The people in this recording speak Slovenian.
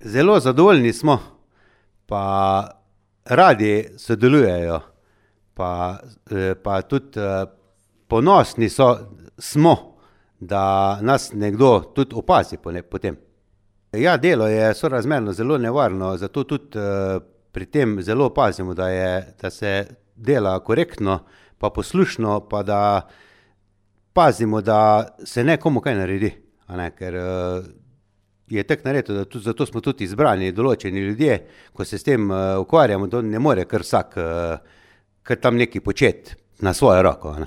Zelo zadovoljni smo, pa radi sodelujejo, pa tudi ponosni smo, da nas nekdo tudi opazi potem. Ja, delo je sorazmerno zelo nevarno, zato tudi pri tem zelo pazimo, da se dela korektno, pa poslušno, pa da pazimo, da se ne komu kaj naredi, a ne, ker je tako narejeno, da tudi zato smo tudi izbrani določeni ljudje, ko se s tem ukvarjamo, to ne more kar vsak kar tam nekaj početi na svojo roko, a ne.